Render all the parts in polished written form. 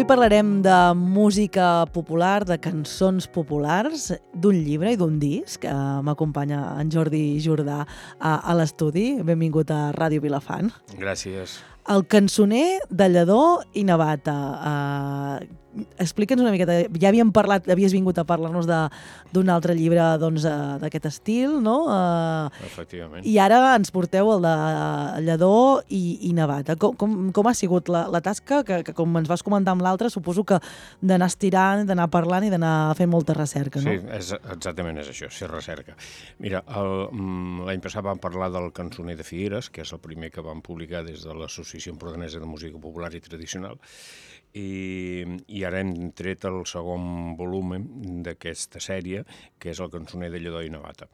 Avui parlarem de música popular, de cançons populars, d'un llibre i d'un disc. M'acompanya en Jordi Jordà a l'estudi. Benvingut a Ràdio Vilafant. Gràcies. El cançoner de Lledó i Navata. Explica'ns una miqueta. Ja havíem parlat, havies vingut a parlar-nos d'un altre llibre d'aquest estil, no? Efectivament. I ara ens porteu el de Lledó i Navata. Com ha sigut la tasca? Que com ens vas comentar amb l'altre, suposo que d'anar estirant, d'anar parlant i d'anar fent molta recerca, no? Sí, exactament és això, ser recerca. Mira, l'any passat vam parlar del cançoner de Figueres, que és el primer que vam publicar des de l'Associació Empordanesa de Música Popular i Tradicional, i ara hem tret el segon volum d'aquesta sèrie, que és el cançoner de Lledó i Navata.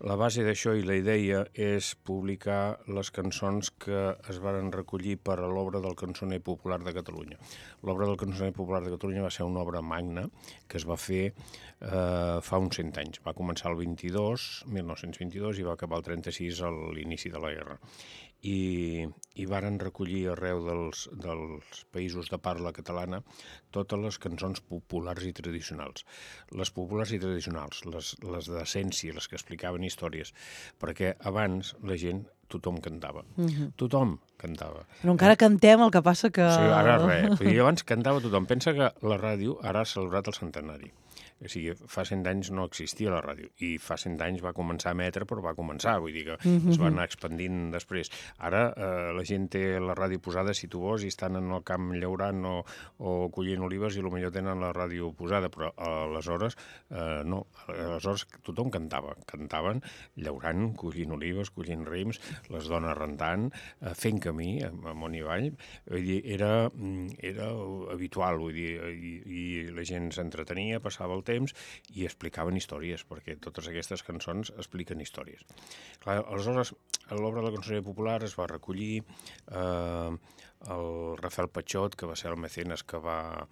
La base d'això i la idea és publicar les cançons que es varen recollir per a l'obra del cançoner popular de Catalunya. L'obra del cançoner popular de Catalunya va ser una obra magna que es va fer fa uns 100 anys. Va començar el 1922, i va acabar el 36 a l'inici de la guerra. I varen recollir arreu dels països de parla catalana totes les cançons populars i tradicionals. Les populars i tradicionals, les d'essència, les que explicaven històries, perquè abans la gent, tothom cantava. Tothom cantava. Però encara cantem, el que passa que... Sí, ara res. Abans cantava tothom. Pensa que la ràdio ara ha celebrat el centenari. O sigui, fa 100 anys no existia la ràdio, i fa 100 anys va començar a emetre, però va començar, vull dir que es va anar expandint després. Ara la gent té la ràdio posada, si tu vols, i estan en el camp llaurant o collint olives, i potser tenen la ràdio posada, però aleshores no. Aleshores tothom cantava. Cantaven llaurant, collint olives, collint raïms, les dones rentant, fent camí amunt i avall. Vull dir, era habitual, vull dir, i la gent s'entretenia, passava el temps i explicaven històries, perquè totes aquestes cançons expliquen històries. Clar, aleshores, a l'obra de la cançoner popular es va recollir el Rafael Patxot, que va ser el mecenes que va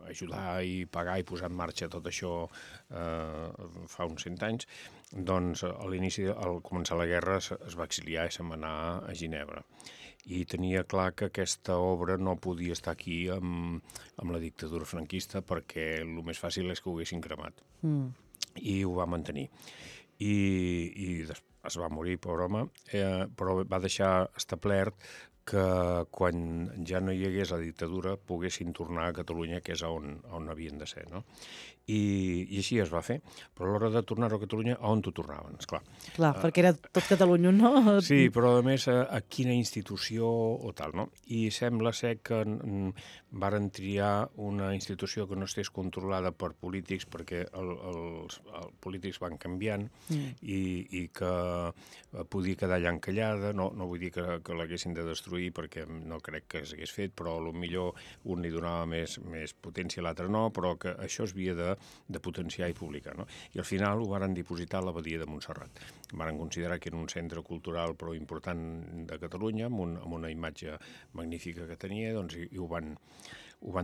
ajudar i pagar i posar en marxa tot això fa uns 100 anys. Doncs a l'inici, al començar la guerra, es va exiliar i se'n va anar a Ginebra. I tenia clar que aquesta obra no podia estar aquí amb la dictadura franquista, perquè el més fàcil és que ho haguessin cremat. I ho va mantenir. I es va morir, pobre home, però va deixar establert que quan ja no hi hagués la dictadura poguessin tornar a Catalunya, que és on havien de ser, no? I així es va fer. Però a l'hora de tornar a Catalunya, a on t'ho tornaven, esclar. Clar, perquè era tot Catalunya, no? Sí, però a més a quina institució o tal, no? I sembla ser que varen triar una institució que no estés controlada per polítics, perquè els polítics van canviant i que podia quedar allà encallada. No vull dir que l'haguessin de destruir, perquè no crec que s'hagués fet, però potser un li donava més potència, l'altre no, però que això es havia de potenciar i publicar, no? I al final ho varen dipositar a l'abadia de Montserrat. Varen considerar que era un centre cultural prou important de Catalunya, amb una imatge magnífica que tenia, doncs, i ho van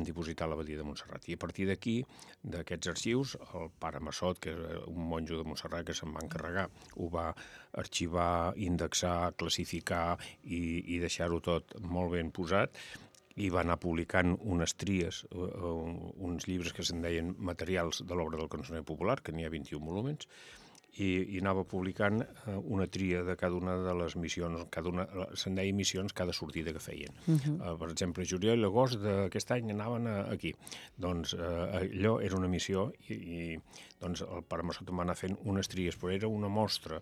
dipositar a l'abadia de Montserrat. I a partir d'aquí, d'aquests arxius, el pare Massot, que és un monjo de Montserrat que se'n va encarregar, ho va arxivar, indexar, classificar i deixar-ho tot molt ben posat, i va anar publicant unes tries, uns llibres que se'n deien materials de l'obra del cançoner popular, que n'hi ha 21 volúmens, i anava publicant una tria de cada una de les missions, se'n deia missions cada sortida que feien. Per exemple, juliol i agost d'aquest any anaven aquí. Doncs allò era una missió, i doncs el pare Massot va anar fent unes tries, però era una mostra,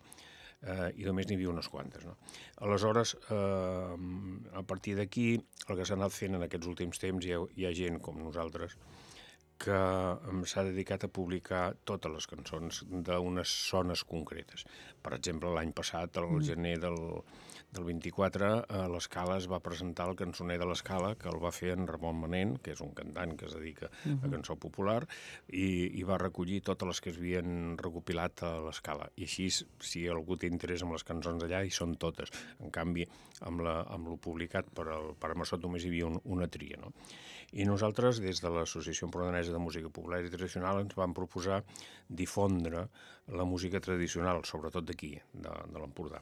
i només n'hi havia unes quantes, no? Aleshores, a partir d'aquí, el que s'ha anat fent en aquests últims temps, hi ha gent com nosaltres que s'ha dedicat a publicar totes les cançons d'unes zones concretes. Per exemple, l'any passat, al gener del 24, a l'Escala es va presentar el cançoner de l'Escala, que el va fer en Ramon Manent, que és un cantant que es dedica a cançó popular, i va recollir totes les que es havien recopilat a l'Escala. I així, si algú té interès en les cançons d'allà, hi són totes. En canvi, amb lo publicat per al Massot només hi havia una tria, no? I nosaltres, des de l'Associació Empordanesa de Música Popular i Tradicional, ens vam proposar difondre la música tradicional, sobretot d'aquí, de l'Empordà.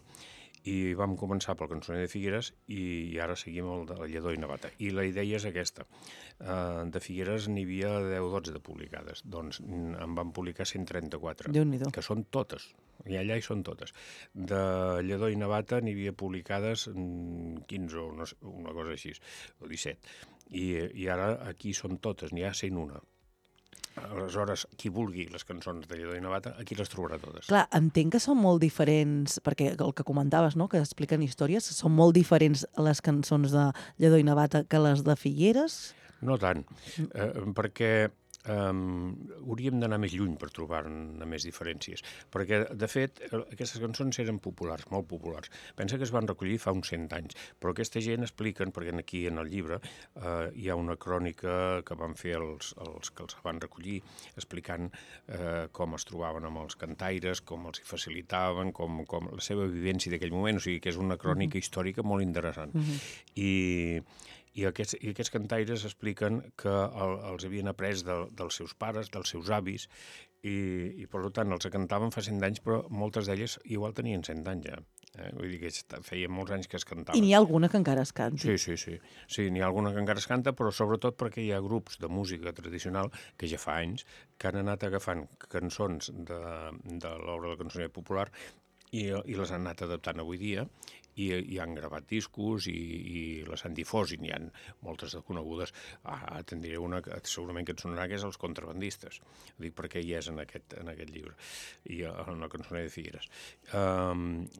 i vam començar pel Cançoner de Figueres i ara seguim el de Lledó i Navata. I la idea és aquesta. De Figueres n'hi havia 10-12 de publicades, doncs en van publicar 134, Déu-n'hi-do. que són totes, i allà hi són totes. De Lledó i Navata n'hi havia publicades 15 o una cosa així, o 17. I ara aquí són totes, n'hi ha 101. Aleshores, qui vulgui les cançons de Lledó i Navata, aquí les trobarà totes. Clar, entenc que són molt diferents, perquè el que comentaves, no?, que expliquen històries, són molt diferents les cançons de Lledó i Navata que les de Figueres? No tant, perquè hauríem d'anar més lluny per trobar-ne més diferències, perquè, de fet, aquestes cançons eren populars, molt populars. Pensa que es van recollir fa uns 100 anys, però aquesta gent expliquen, perquè aquí en el llibre hi ha una crònica que van fer els que els van recollir, explicant com es trobaven amb els cantaires, com els hi facilitaven, com la seva vivència d'aquell moment, o sigui que és una crònica històrica molt interessant. I aquests cantaires expliquen que els havien après dels seus pares, dels seus avis, i per tant els cantaven fa 100 anys, però moltes d'elles igual tenien 100 anys ja. Vull dir que feia molts anys que es cantaven. I n'hi ha alguna que encara es canti? Sí, n'hi ha alguna que encara es canta, però sobretot perquè hi ha grups de música tradicional que ja fa anys que han anat agafant cançons de l'obra del cançoner popular i les han anat adaptant avui dia i han gravat discos i les han difós, i n'hi ha moltes de conegudes. Te'n diré una que segurament que et sonarà, que és Els contrabandistes. Ho dic perquè hi és en aquest llibre, i en el Cançoner de Figueres.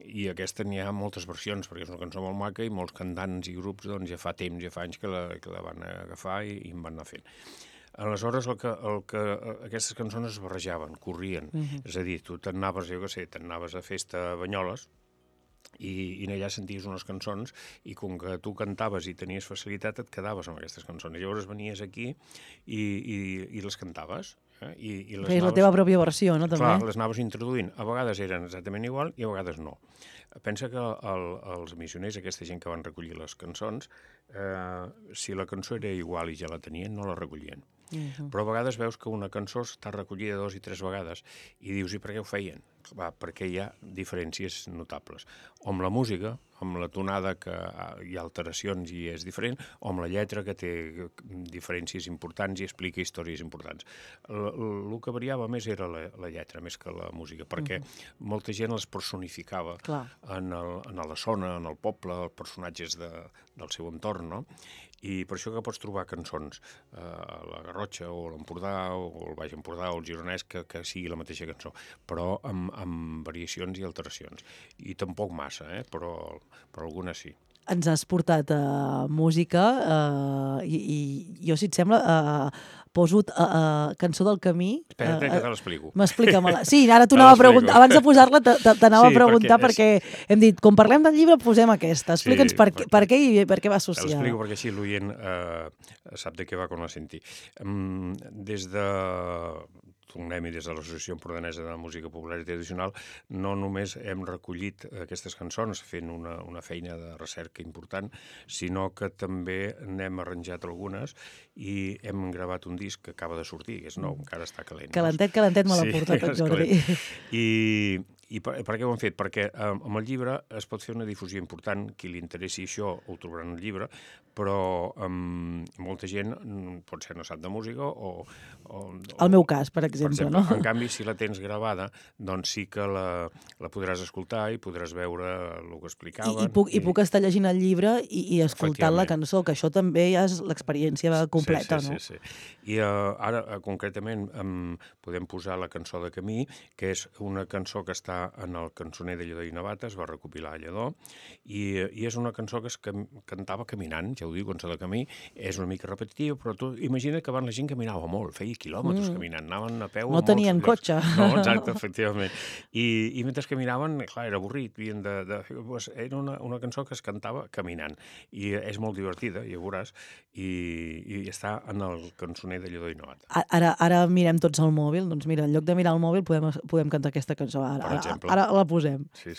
I aquesta n'hi ha moltes versions, perquè és una cançó molt maca i molts cantants i grups doncs, ja fa temps, ja fa anys que la van agafar i en van anar fent. Aleshores, aquestes cançons es barrejaven, corrien. És a dir, tu t'anaves a festa a Banyoles, i allà senties unes cançons i com que tu cantaves i tenies facilitat et quedaves amb aquestes cançons. Llavors venies aquí i les cantaves. Feies la teva pròpia versió, no? També. Clar, les anaves introduint. A vegades eren exactament igual i a vegades no. Pensa que els missioners, aquesta gent que van recollir les cançons, si la cançó era igual i ja la tenien, no la recollien. Però a vegades veus que una cançó està recollida 2 i 3 vegades i dius, i per què ho feien? Perquè hi ha diferències notables. O amb la música, amb la tonada que hi ha alteracions i és diferent, o amb la lletra que té diferències importants i explica històries importants. El que variava més era la lletra, més que la música, perquè molta gent les personificava en la zona, en el poble, els personatges del seu entorn, no? I per això que pots trobar cançons a la Garrotxa o a l'Empordà o al Baix Empordà o al Gironès que sigui la mateixa cançó, però amb variacions i alteracions. I tampoc massa, però algunes sí. Ens has portat música i jo, si et sembla, poso Cançó del camí. Espera't, que te l'explico. M'explica-me-la. Sí, ara t'ho anava a preguntar. Abans de posar-la t'anava a preguntar perquè hem dit, com parlem del llibre, posem aquesta. Explica'ns per què i per què va associada. L'explico perquè així l'oient sap de què va quan la senti. Des de l'Associació Empordanesa de Música Popular i Tradicional, no només hem recollit aquestes cançons fent una feina de recerca important, sinó que també n'hem arranjat algunes i hem gravat un disc que acaba de sortir, que és nou, encara està calent. Calentet me l'ha portat en Jordi. I per què ho hem fet? Perquè amb el llibre es pot fer una difusió important. Qui li interessi això ho trobarà en el llibre, però molta gent potser no sap de música o... El meu cas, per exemple, no? En canvi, si la tens gravada, doncs sí que la podràs escoltar i podràs veure el que explicaven. I puc estar llegint el llibre i escoltant la cançó, que això també ja és l'experiència completa, no? Sí. I ara, concretament, podem posar la cançó de Camí, que és una cançó que està en el Cançoner de Lledó i Navata, es va recopilar a Lledó, i és una cançó que es cantava caminant, ja ho diu, Cançó de Camí, és una mica repetitiva, però tu imagina que abans la gent caminava molt, feia quilòmetres caminant, anaven a peu... No tenien cotxe. No, exacte, efectivament. I mentre caminaven, clar, era avorrit, era una cançó que es cantava caminant, i és molt divertida, ja ho veuràs, i està en el Cançoner de Lledó i Navata. Ara mirem tots el mòbil, doncs mira, en lloc de mirar el mòbil podem cantar aquesta cançó. Ara la posem. Sí.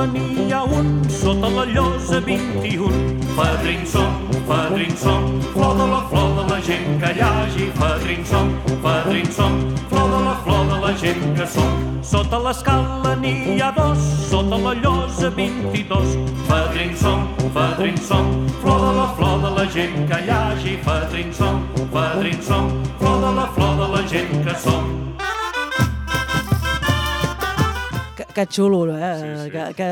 l'escala n'hi ha un, sota la llosa 21. Fadrins som, flor de la gent que hi hagi. Fadrins som, flor de la gent que som. Sota l'escala n'hi ha dos, sota la llosa 22. Fadrins som, flor de la gent que hi hagi. Fadrins som, flor de la gent que som. Que xulo, Sí. que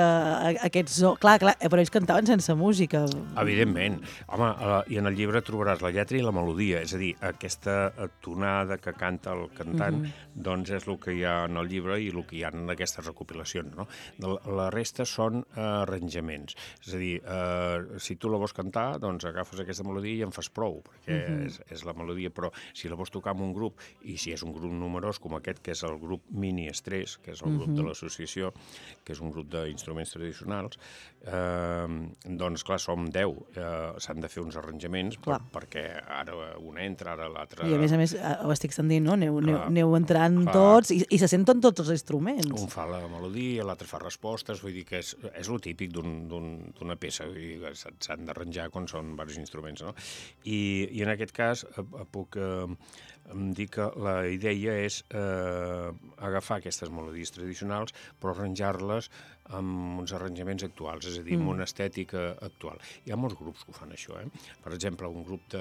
aquests... Clar, però ells cantaven sense música. Evidentment. Home, i en el llibre trobaràs la lletra i la melodia, és a dir, aquesta tonada que canta el cantant, doncs és el que hi ha en el llibre i el que hi ha en aquestes recopilacions, no? La resta són arranjaments. És a dir, si tu la vols cantar, doncs agafes aquesta melodia i en fas prou, perquè és la melodia, però si la vols tocar amb un grup, i si és un grup numerós com aquest, que és el grup Mini Estrès, que és el grup de l'associació, que és un grup d'instruments tradicionals, doncs, clar, som 10. S'han de fer uns arranjaments perquè ara un entra, ara l'altre... I a més, ho estic sentint, no? Aneu entrant tots i se senten tots els instruments. Un fa la melodia, l'altre fa respostes, vull dir que és el típic d'una peça, vull dir que s'han d'arranjar quan són diversos instruments, no? I en aquest cas puc dir que la idea és agafar aquestes melodies tradicionals però arranjar-les amb uns arranjaments actuals, és a dir, amb una estètica actual. Hi ha molts grups que ho fan, això, Per exemple, un grup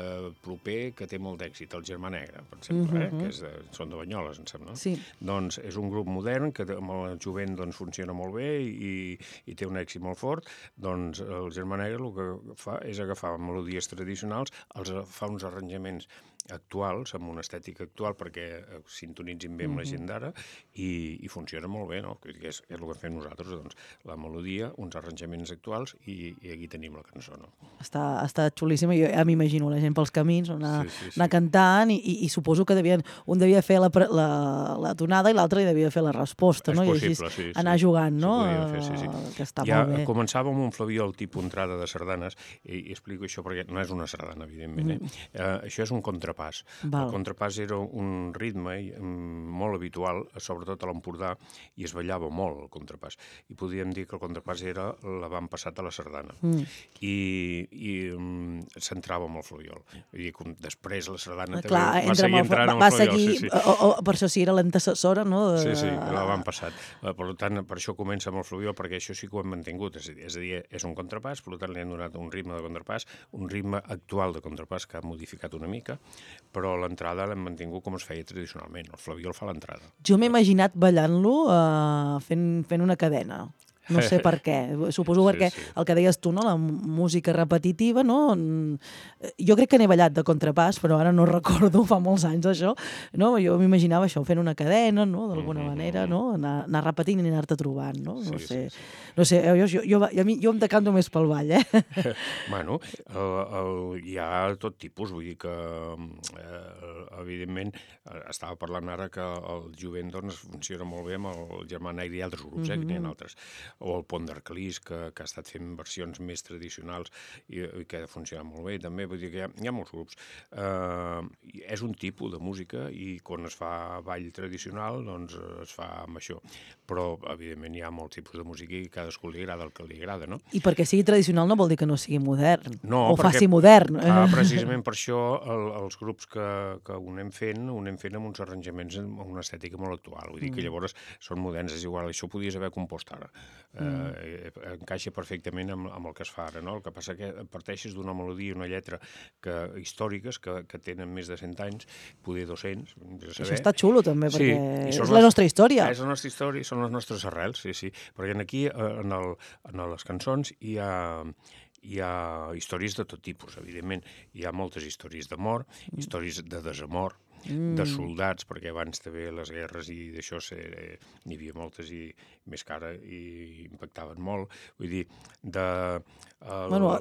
proper que té molt d'èxit, el Germà Negre, per exemple, que són de Banyoles, em sembla. Sí. Doncs és un grup modern que amb el jovent funciona molt bé i té un èxit molt fort. Doncs el Germà Negre el que fa és agafar melodies tradicionals, els fa uns arranjaments actuals, amb una estètica actual, perquè sintonitzin bé amb la gent d'ara i funciona molt bé, no? És el que fem nosaltres, doncs, la melodia, uns arranjaments actuals i aquí tenim la cançó, no? Està xulíssima, jo ja m'imagino la gent pels camins, anar cantant i suposo que un devia fer la tonada i l'altre hi devia fer la resposta, no? És possible, i així anar jugant, no? Que està molt bé. Començava amb un Flabiol tipus entrada de sardanes i explico això perquè no és una sardana, evidentment, això és un contrapàs. El contrapàs era un ritme molt habitual, sobretot a l'Empordà, i es ballava molt el contrapàs. I podríem dir que el contrapàs era l'avantpassat a la sardana. I s'entrava amb el Flabiol. Vull dir, després la sardana també va seguir entrant amb el Flabiol. Per això sí era l'antecessora, no? Sí, l'avantpassat. Per tant, per això comença amb el Flabiol, perquè això sí que ho hem mantingut. És a dir, és un contrapàs, per tant li hem donat un ritme de contrapàs, un ritme actual de contrapàs que ha modificat una mica, però l'entrada l'hem mantingut com es feia tradicionalment. El Flabiol fa l'entrada. Jo m'he imaginat ballant-lo fent una cadena. No sé per què. Suposo perquè el que deies tu, no? La música repetitiva, no? Jo crec que n'he ballat de contrapàs, però ara no recordo, fa molts anys això. No? Jo m'imaginava això, fent una cadena, no? D'alguna manera, no? Anar repetint i anar-te trobant, no? No sé, jo em decanto més pel ball, Bueno, hi ha tot tipus, vull dir que evidentment estava parlant ara que el jovent doncs funciona molt bé amb el Germà Negre i altres grups, que n'hi ha altres. O el Pont d'Arcalís, que ha estat fent versions més tradicionals i que ha funcionat molt bé, també. Vull dir que hi ha molts grups. És un tipus de música i quan es fa ball tradicional, doncs es fa amb això. Però, evidentment, hi ha molts tipus de música i cadascú li agrada el que li agrada, no? I perquè sigui tradicional no vol dir que no sigui modern. No, o faci modern. Precisament per això els grups que ho anem fent amb uns arranjaments amb una estètica molt actual. Vull dir que llavors són moderns, és igual, això ho podies haver compost ara. Encaixa perfectament amb el que es fa ara, no? El que passa que parteixes d'una melodia i una lletra històriques que tenen més de 100 anys, poder 200. Això està xulo també, perquè és la nostra història. És la nostra història, són les nostres arrels, sí. Perquè aquí, en les cançons, hi ha històries de tot tipus, evidentment. Hi ha moltes històries d'amor, històries de desamor, de soldats, perquè abans també les guerres i d'això n'hi havia moltes i més que ara i impactaven molt. Vull dir,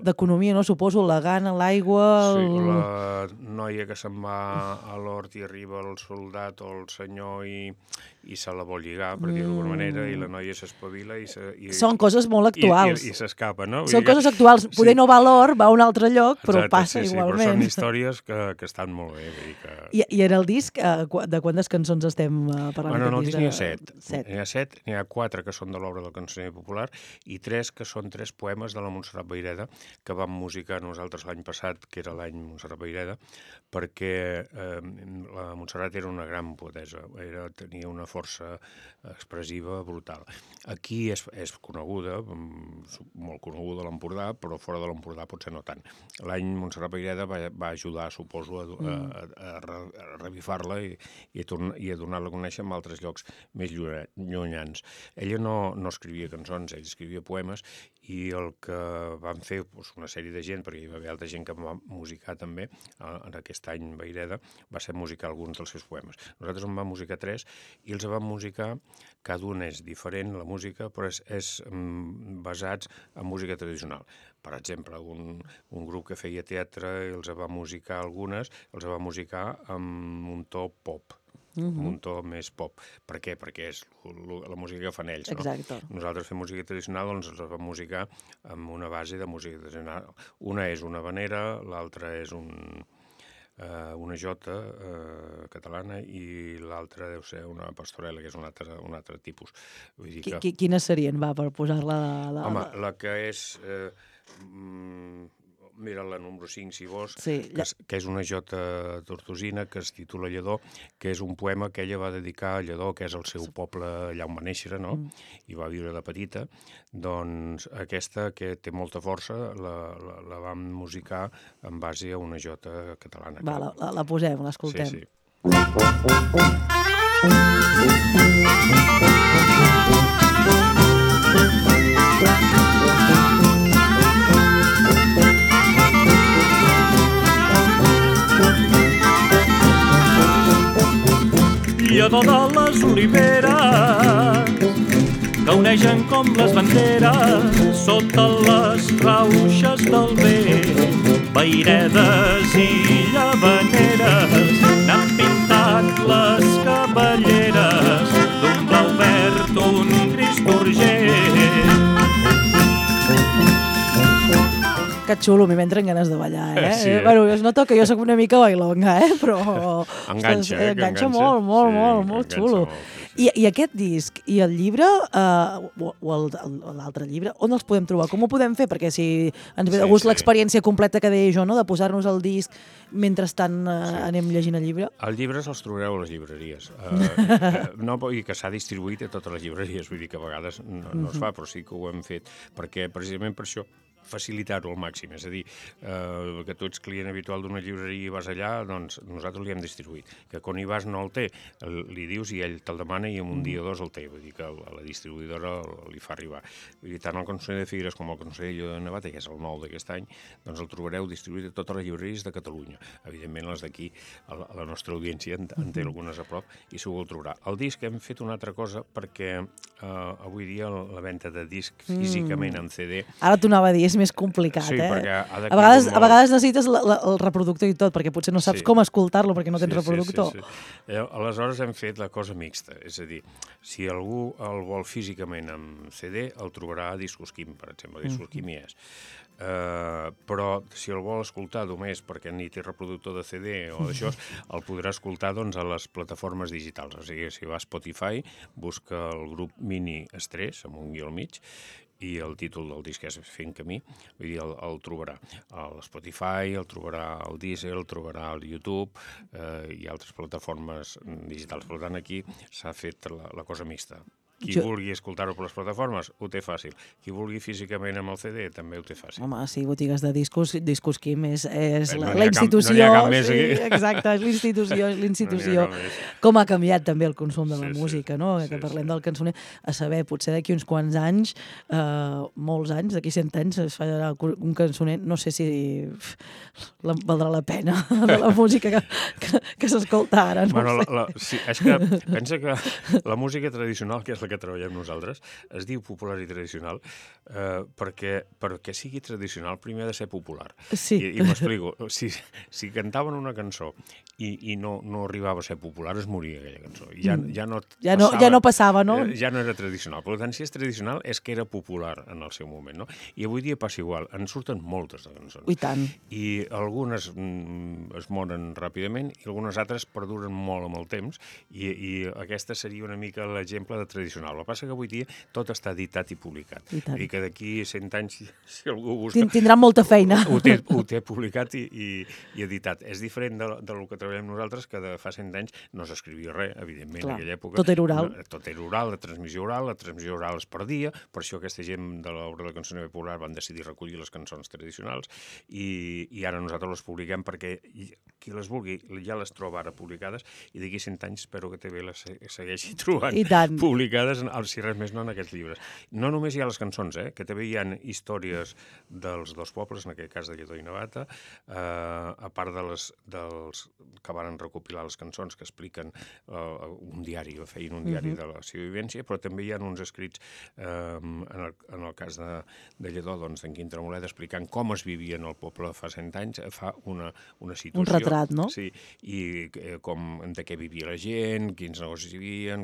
d'economia, no? Suposo, la gana, l'aigua... Sí, la noia que se'n va a l'hort i arriba el soldat o el senyor i se la vol lligar, per dir-ho d'alguna manera, i la noia s'espavila i... Són coses molt actuals. I s'escapa, no? Són coses actuals. Poder no va a l'hort, va a un altre lloc, però passa igualment. Però són històries que estan molt bé. I era el disc, de quantes cançons estem parlant? Bueno, no, el disc n'hi ha 7. 7. N'hi ha 7, n'hi ha 4 que són de l'obra del cançoner popular i 3 que són 3 poemes de la Montserrat Vayreda que vam musicar nosaltres l'any passat, que era l'any Montserrat Vayreda, perquè la Montserrat era una gran poetessa, tenia una força expressiva brutal. Aquí és coneguda, molt coneguda a l'Empordà, però fora de l'Empordà potser no tant. L'any Montserrat Vayreda va ajudar, suposo, a revifar-la i a donar-la a conèixer en altres llocs més llunyans. Ella no escrivia cançons, ella escrivia poemes, i el que van fer una sèrie de gent, perquè hi va haver altra gent que va musicar també, en aquest any Vayreda, va ser musicar alguns dels seus poemes. Nosaltres en vam musicar 3 i els vam musicar, cada un és diferent, la música, però és basats en música tradicional. Per exemple, un grup que feia teatre, els va musicar algunes, els va musicar amb un to pop, amb un to més pop. Per què? Perquè és la música que fan ells, no? Exacte. Nosaltres fem música tradicional, doncs els vam musicar amb una base de música tradicional. Una és una havanera, l'altra és una jota catalana i l'altra deu ser una pastorela, que és un altre tipus. Vull dir que... Quines serien, per posar-la... Home, la que és... Mira la número 5, si vols, sí, que és una jota tortosina que es titula Lledó, que és un poema que ella va dedicar a Lledó, que és el seu poble allà on va néixer, no? I va viure de petita. Doncs aquesta, que té molta força, la vam musicar en base a una jota catalana. Va, la posem, l'escoltem. Sí, sí. Lledó de les oliveres que uneixen com les banderes sota les rauxes del vent. Vairedes i llavaneres n'han pintat les cavalleres d'un blau verd, un gris d'urgent. Que xulo, a mi m'entren ganes de ballar, eh? Sí, Bueno, es nota que jo soc una mica bailonga, però... Enganxa molt xulo. I aquest disc i el llibre, o l'altre llibre, on els podem trobar? Com ho podem fer? Perquè si ens ve de gust l'experiència completa que deia jo, no?, de posar-nos el disc mentrestant anem llegint el llibre. El llibre se'ls trobareu a les llibreries. No vull dir que s'ha distribuït a totes les llibreries, vull dir que a vegades no es fa, però sí que ho hem fet, perquè precisament per això facilitar-ho al màxim, és a dir, que tu ets client habitual d'una llibreria i vas allà, doncs nosaltres li hem distribuït. Que quan hi vas no el té, li dius i ell te'l demana i en un dia o dos el té, vull dir que la distribuïdora li fa arribar. Vull dir, tant el Cançoner de Figueres com el Cançoner de Navata, que és el nou d'aquest any, doncs el trobareu distribuït a totes les llibreries de Catalunya. Evidentment, les d'aquí, la nostra audiència en té algunes a prop i segur el trobarà. El disc hem fet una altra cosa perquè avui dia la venda de disc físicament en CD... Ara t'ho anava a dir, és més complicat, sí, a vegades necessites el reproductor i tot, perquè potser no saps com escoltar-lo perquè no tens reproductor. Sí. Aleshores hem fet la cosa mixta, és a dir, si algú el vol físicament amb CD, el trobarà a Discosquim, per exemple, Discosquim hi és. Però si el vol escoltar només perquè ni té reproductor de CD o d'això, el podrà escoltar doncs, a les plataformes digitals. O sigui, si va a Spotify, busca el grup Mini Estrès, amb un guió al mig, i el títol del disc és Fent Camí, vull dir, el trobarà a l'Spotify, el trobarà al Deezer, el trobarà al YouTube i altres plataformes digitals. Per tant, aquí s'ha fet la cosa mixta. Qui vulgui escoltar-ho per les plataformes, ho té fàcil. Qui vulgui físicament amb el CD, també ho té fàcil. Home, sí, botigues de discos, Discosquim és la institució. No n'hi ha cap més aquí. Sí, exacte, és l'institució. Com ha canviat també el consum de la música, no? Que parlem del cançoner. A saber, potser d'aquí uns quants anys, molts anys, d'aquí 100 anys, es farà un cançoner, no sé si valdrà la pena de la música que s'escolta ara. Bueno, sí, és que pensa que la música tradicional, que és la la que treballem nosaltres, es diu popular i tradicional perquè sigui tradicional primer ha de ser popular. Sí. I m'explico. Si cantaven una cançó i no arribava a ser popular, es moria aquella cançó. Ja no passava, no? Ja no era tradicional. Per tant, si és tradicional, és que era popular en el seu moment, no? I avui dia passa igual. En surten moltes de cançons. I tant. I algunes es moren ràpidament i algunes altres perduren molt amb el temps i aquesta seria una mica l'exemple de tradicional. El que passa que avui dia tot està editat i publicat. I que d'aquí 100 anys, si algú busca... Tindrà molta feina. Ho té publicat i editat. És diferent del que treballem nosaltres, que de fa 100 anys no s'escrivia res, evidentment, en aquella època. Tot era oral. Tot era oral, la transmissió oral es perdia, per això aquesta gent de l'obra de la cançó popular van decidir recollir les cançons tradicionals i ara nosaltres les publiquem perquè qui les vulgui ja les troba ara publicades i d'aquí 100 anys espero que TV les segueixi trobant publicades, si res més no, en aquests llibres. No només hi ha les cançons, que també hi ha històries dels dos pobles, en aquest cas de Lledó i Navata, a part dels que van recopilar les cançons que expliquen un diari, feien un diari de la seva vivència, però també hi ha uns escrits, en el cas de Lledó, doncs, d'en Quim Tremoleda, explicant com es vivia en el poble fa 100 anys, fa una situació... Un retrat, no? Sí, i de què vivia la gent, quins negocis hi havia,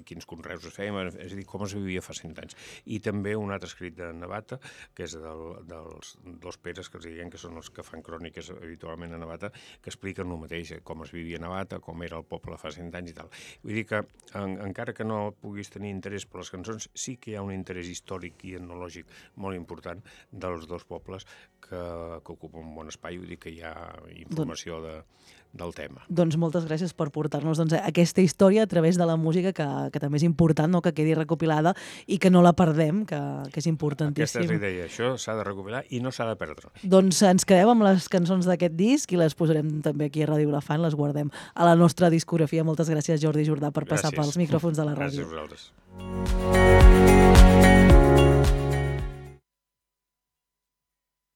quins conreus es feien, és a dir, com es vivia fa 100 anys. I també un altre escrit de Navata, que és dels dos Peres, que els diuen que són els que fan cròniques habitualment a Navata, que expliquen el mateix, com es vivia a Navata, com era el poble fa 100 anys i tal. Vull dir que, encara que no puguis tenir interès per les cançons, sí que hi ha un interès històric i etnològic molt important dels dos pobles que ocupen un bon espai, vull dir que hi ha informació del tema. Doncs moltes gràcies per portar-nos aquesta història a través de la música, que també és important, no?, que quedi recopilada i que no la perdem, que és importantíssim. Aquesta és la idea, això s'ha de recopilar i no s'ha de perdre. Doncs ens quedem amb les cançons d'aquest disc i les posarem també aquí a Ràdio Vilafant, les guardem a la nostra discografia. Moltes gràcies, Jordi Jordà, per passar pels micròfons de la ràdio. Gràcies a vosaltres.